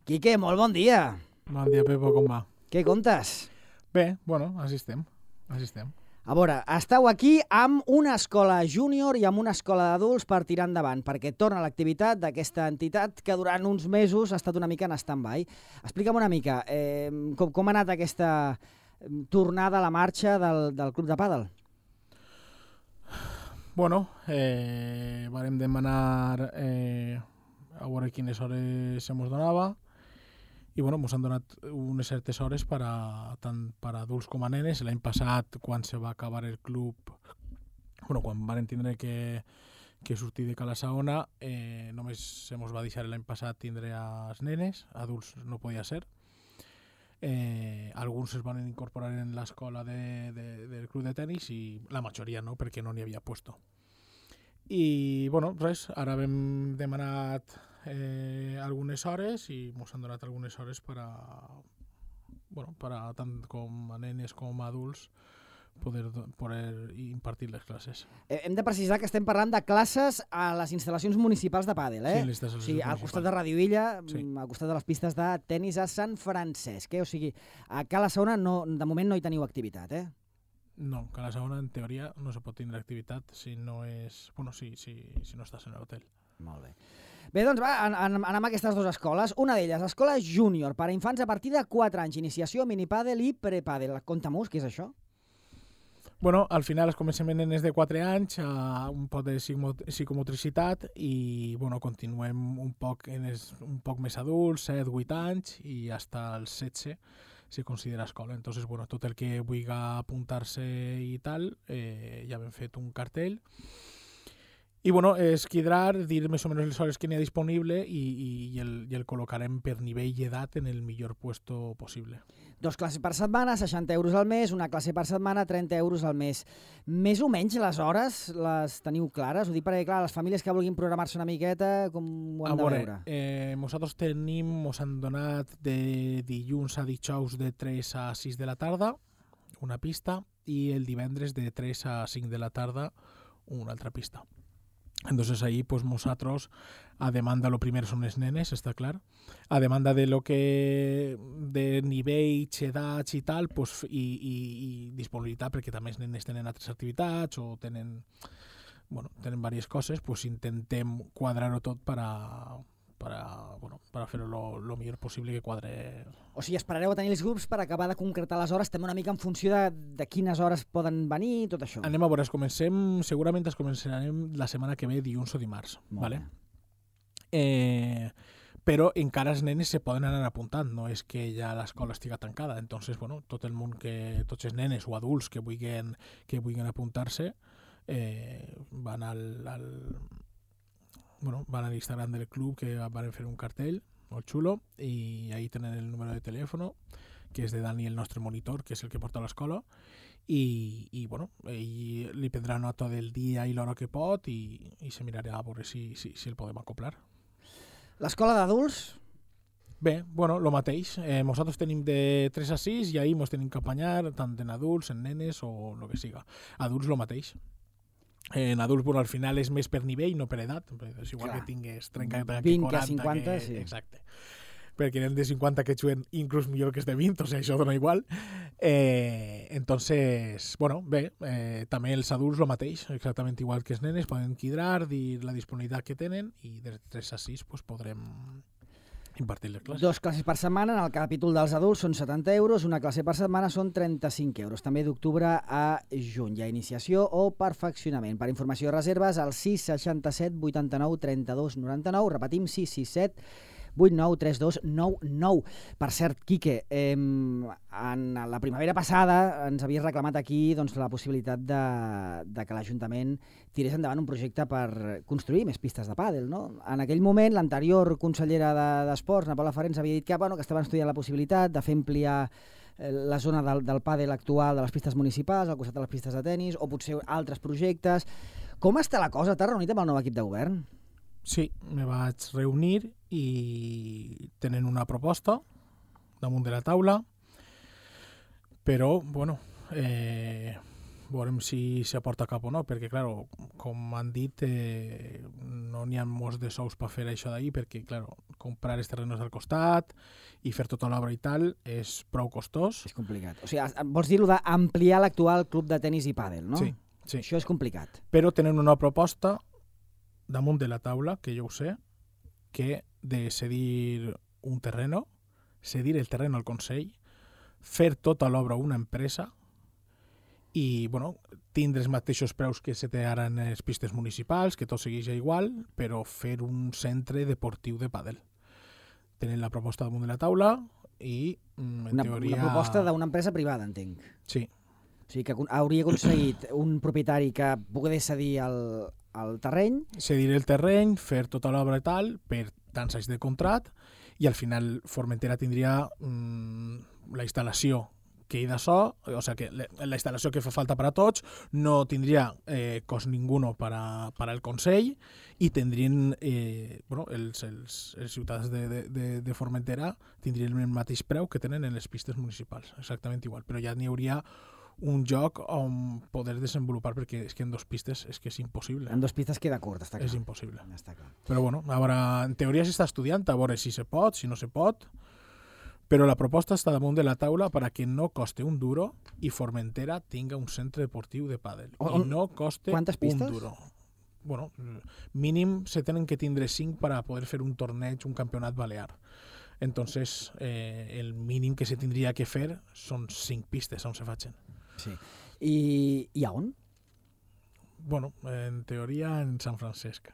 Quique, molt bon dia. Bon dia, Pepo, com va? Què contes? Bé, bueno, així estem. A veure, esteu aquí amb una escola júnior i amb una escola d'adults per tirar endavant, perquè torna l'activitat d'aquesta entitat que durant uns mesos ha estat una mica en stand-by. Explica'm una mica, com ha anat aquesta tornada a la marxa del club de pàdel? Bueno, vam demanar a veure quines hores se mos donava i bueno, ens han donat unes certes hores tant per a adults com a nenes. L'any passat, quan se va acabar el club, quan vam tindre que sortir de Cala Saona, només se mos va deixar l'any passat tindre als nenes, adults no podia ser. Alguns es van incorporar en l'escola del club de tenis i la majoria no, perquè no n'hi havia puesto. I res, ara hem demanat algunes hores i ens han donat algunes hores per a tant com a nenes com a adults poder impartir les classes. Hem de precisar que estem parlant de classes a les instal·lacions municipals de pàdel, Sí, les instal·lacions municipals. Al costat de Radio Illa, sí. Al costat de les pistes de tenis a Sant Francesc. O sigui, a Cala Saona de moment no hi teniu activitat, No, Cala Saona en teoria no se pot tindre activitat si no és... si no estàs en l'hotel. Molt bé. Bé, doncs va, anem a aquestes dues escoles. Una d'elles, escola júnior, per a infants a partir de 4 anys, iniciació, minipàdel i prepàdel. Conta-mos, què és això? Al final comencem en nenes de 4 anys, un poc de psicomotricitat i continuem un poc més adults, 7-8 anys i fins als 16 se considera escola. Entonces, tot el que vulgui apuntar-se i tal, ja hem fet un cartell. I és quedar, dir més o menys les hores que n'hi ha disponible i el col·locarem per nivell i edat en el millor puesto possible. 2 classes per setmana, 60 euros al mes, una classe per setmana, 30 euros al mes. Més o menys les hores les teniu clares? Ho dic perquè, clar, les famílies que vulguin programar-se una miqueta, com ho han de veure? Nosaltres ens han donat de dilluns a dijous de 3 a 6 de la tarda una pista i el divendres de 3 a 5 de la tarda una altra pista. Entonces ahí nosotros, a demanda, lo primero son les nenes, está clar, a demanda de lo que de nivell, edats i tal, i disponibilitat, perquè també els nenes tenen altres activitats o tenen diverses coses, intentem quadrar-ho tot per a fer-ho lo millor possible que quadre. O sigui, esperareu a tenir els grups per acabar de concretar les hores, també una mica en funció de quines hores poden venir i tot això. Anem a veure, segurament començarem la setmana que ve, dilluns o dimarts. Vale? Però encara els nenes se poden anar apuntant, no és que ja l'escola estiga tancada. Entonces, tot el món, tots els nenes o adults que vulguin apuntar-se van van a l'Instagram del club, que van fer un cartell molt xulo, i ahí tenen el número de telèfon, que és de Dani, el nostre monitor, que és el que porta a l'escola, i ell li prendrà nota del dia i l'hora que pot i se mirarà a veure si el podem acoplar. L'escola d'adults? Bé, el mateix. Nosaltres tenim de 3 a 6 i ahir ens tenim que apanyar tant en adults, en nenes o el que siga. Adults, el mateix. En adults, al final és més per nivell, no per edat. És igual que tingues 30 que 20 40. a 50, sí. Exacte. Perquè n'hi ha de 50 que juguen inclús millor que els de 20, o sigui, això dona igual. Entonces, bé, també els adults el mateix, exactament igual que els nenes, poden quidrar, dir la disponibilitat que tenen i de 3 a 6 podrem impartir les classes. 2 classes per setmana, en el capítol dels adults són 70 euros, una classe per setmana són 35 euros. També d'octubre a juny. Hi ha iniciació o perfeccionament. Per informació i reserves, al 667 89 32 99, repetim, 667 893299. Per cert, Quique, en la primavera passada ens havies reclamat aquí la possibilitat de que l'Ajuntament tirés endavant un projecte per construir més pistes de pàdel, no? En aquell moment, l'anterior consellera d'Esports, Ana Paula Farré, ens havia dit que estaven estudiant la possibilitat de fer ampliar la zona del pàdel actual de les pistes municipals, al costat de les pistes de tenis, o potser altres projectes. Com està la cosa? T'has reunit amb el nou equip de govern? Sí, me vaig reunir i tenen una proposta damunt de la taula, però, veurem si s'aporta cap o no, perquè, clar, com han dit, no n'hi ha molts de sous per fer això d'ahir, perquè, clar, comprar els terrenos al costat i fer tota l'obra i tal és prou costós. És complicat. O sigui, vols dir-ho d'ampliar l'actual club de tenis i pàdel, no? Sí. Això és complicat. Però tenen una proposta damunt de la taula, que jo ho sé, que de cedir un terreno, cedir el terreno al Consell, fer tota l'obra una empresa i, bueno, tindre els mateixos preus que se té ara en les pistes municipals, que tot segueix igual, però fer un centre deportiu de pàdel. Tenen la proposta damunt de la taula i, en teoria... Una proposta d'una empresa privada, entenc. Sí. O sigui, que hauria aconseguit un propietari que pogués cedir el terreny. Cedir el terreny, fer tota l'obra i tal, per tants anys de contrat, i al final Formentera tindria la instal·lació que hi de so, o sigui, que la instal·lació que fa falta per a tots no tindria cost ninguno per al Consell i tindrien, bueno, els ciutadans de Formentera tindrien el mateix preu que tenen en les pistes municipals, exactament igual, però ja n'hi hauria un joc on poder desenvolupar, perquè és que en 2 pistes és que és impossible. En 2 pistes queda curt, està clar. És impossible. Està clar. Però bueno, ara en teoria s'està estudiant, a veure si se pot, si no se pot, però la proposta està damunt de la taula per a que no coste un duro i Formentera tinga un centre deportiu de pàdel. I no coste un duro. Bueno, mínim se tenen que tindre 5 per a poder fer un torneig, un campionat balear. Entonces, el mínim que se tindria que fer són 5 pistes on se facin. Sí. I a on? Bueno, en teoria en Sant Francesc.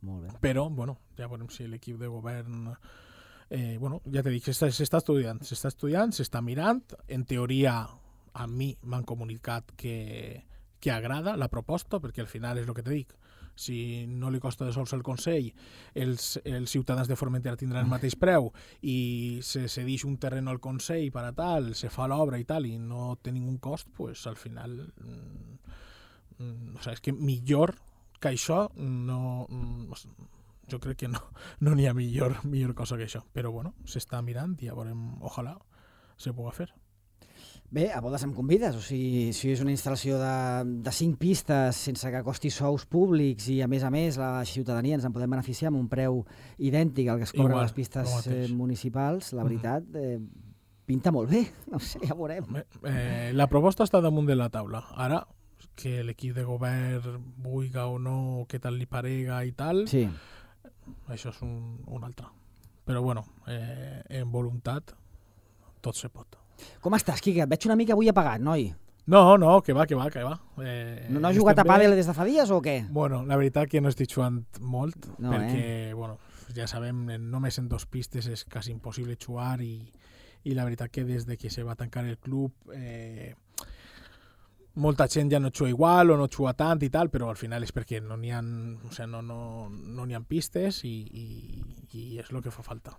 Molt bé. Però, bueno, ja veurem si l'equip de govern... bueno, ja t'he dit, s'està estudiant, s'està mirant. En teoria, a mi m'han comunicat que agrada la proposta, perquè al final és el que t'he dit. Si no li costa de sols al Consell, els ciutadans de Formentera tindran el mateix preu i se cedeix un terreno al Consell per a tal, se fa l'obra i tal, i no té ningun cost, pues al final... o sigui, és que millor que això no... jo crec que no n'hi ha millor cosa que això. Però bueno, s'està mirant i ja veurem, ojalà se pugui fer. Bé, a bodes em convides, o sigui, si és una instal·lació de 5 pistes sense que costi sous públics i a més la ciutadania ens en podem beneficiar amb un preu idèntic al que es cobra a les pistes municipals, la veritat, pinta molt bé, no sé, ja veurem. La proposta està damunt de la taula. Ara, que l'equip de govern vulgui o no, què tal li parega i tal, sí. Això és un altre. Però bueno, en voluntat tot se pot. Com estàs, Quique? Et veig una mica avui apagat, noi? No, que va. No has jugat a pàdel des de fa dies o què? Bueno, la veritat que no estic jugant molt, perquè, bueno, ja sabem, només en 2 pistes és quasi impossible jugar i la veritat que des de que se va tancar el club molta gent ja no juga igual o no juga tant i tal, però al final és perquè no n'hi ha, o sigui, no n'hi ha pistes i és el que fa falta.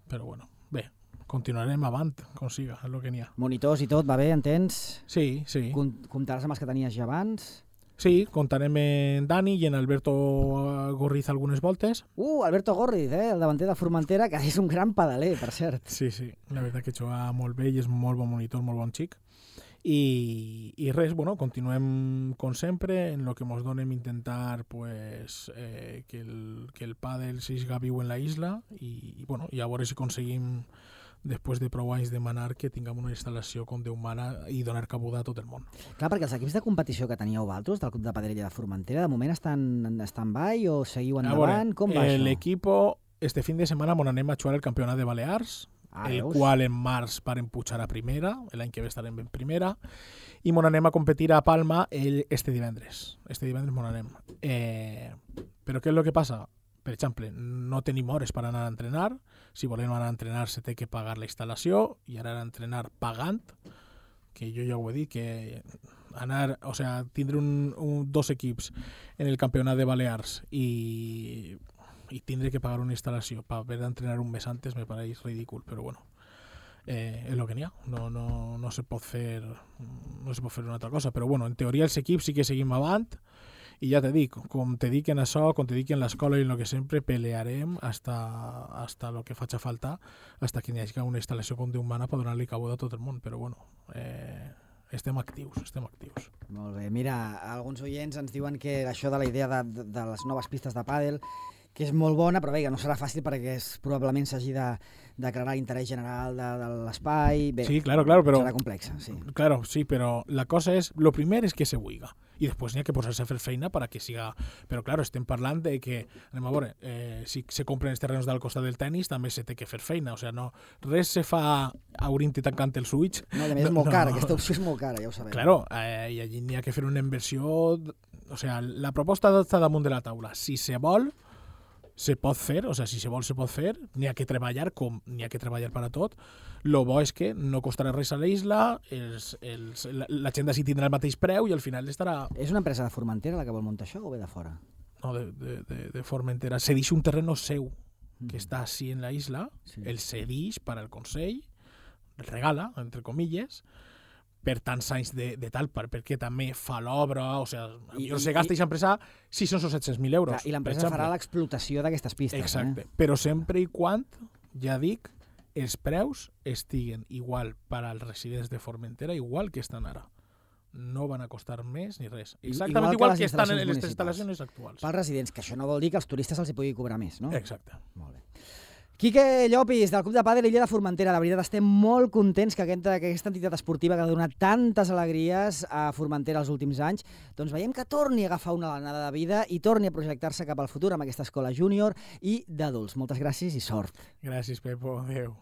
Però bueno, bé, continuarem avant, com siga, és el que n'hi ha. Monitors i tot, va bé, entens? Sí. Comptaràs amb els que tenies ja abans? Sí, comptarem en Dani i en Alberto Gorriz algunes voltes. Alberto Gorriz, el davanter de Formentera, que és un gran pedaler, per cert. Sí, la veritat que juga molt bé i és molt bon monitor, molt bon xic. I res, bueno, continuem com sempre en lo que ens donem intentar pues, que el pàdel siga viu en la isla i bueno, i a veure si aconseguim després de prou anys demanar que tinguem una instal·lació com Déu mana i donar cabuda a tot el món. Clar, perquè els equips de competició que teníeu vosaltres del Club de Padrella de Formentera de moment estan en stand-by o seguiu endavant? Com va això? L'equip este fin de setmana anem a jugar el campionat de Balears, el qual en març varen pujar a primera, l'any que ve estarem en primera, i anem a competir a Palma este divendres. Este divendres anem. Però què és el que passa? Per exemple, no tenim hores per anar a entrenar. Si volem anar a entrenar se té que pagar la instal·lació i anar a entrenar pagant, que jo ja ho he dit, que anar, o sea, tindre dos equips en el campionat de Balears i tindre que pagar una instal·lació per haver d'entrenar un mes antes me pareix ridícul, però bueno, és el que n'hi ha. No se pot fer una altra cosa, però bueno, en teoria els equips sí que seguim avant i ja te dic, com te dic en això, com te dic en l'escola i en el que sempre pelearem hasta lo que faci falta, hasta que n'hi hagi una instal·lació com Déu mana per donar-li cabuda a tot el món, però bueno, estem actius. Molt bé. Mira, alguns oients ens diuen que això de la idea de les noves pistes de pàdel, que és molt bona, però bé, que no serà fàcil perquè probablement s'hagi de declarar l'interès general de l'espai. Bé, sí, claro, però... serà complexa, sí. Claro, sí, però la cosa és... Lo primer és que se vulga. I després n'hi ha que posar-se a fer feina perquè siga... Però, claro, estem parlant de que... Anem a veure, si se compren els terrenys del costat del tennis, també se té que fer feina. O sigui, no, res se fa obrint i tancant el switch. No, i a més és molt cara, aquesta opció és molt cara, ja ho sabem. Claro, i allí n'hi ha que fer una inversió... O sigui, la proposta està damunt de la taula. Si se vol, se pot fer, o sigui, si se vol, se pot fer. N'hi ha que treballar, com n'hi ha que treballar per a tot. Lo bo és que no costarà res a l'isla, la gent d'ací tindrà el mateix preu i al final estarà... És una empresa de Formentera la que vol muntar això o ve de fora? No, de Formentera. Cedix un terreno seu que està així en la isla, sí. El cedix per al Consell, el regala, entre comilles, per tants anys de tal, perquè també fa l'obra, o sigui, se gasta aquesta empresa 600 o 700.000 euros. I l'empresa farà l'explotació d'aquestes pistes. Exacte, però sempre i quan, ja dic, els preus estiguen igual per als residents de Formentera, igual que estan ara. No van a costar més ni res. Exactament igual que estan en les instal·lacions actuals. Pels residents, que això no vol dir que als turistes els hi pugui cobrar més, no? Exacte. Molt bé. Quique Llopis, del Club de Pàdel Illa de Formentera. La veritat, estem molt contents que aquesta entitat esportiva que ha donat tantes alegries a Formentera els últims anys, doncs veiem que torni a agafar una alenada de vida i torni a projectar-se cap al futur amb aquesta escola júnior i d'adults. Moltes gràcies i sort. Gràcies, Pepo. Adéu.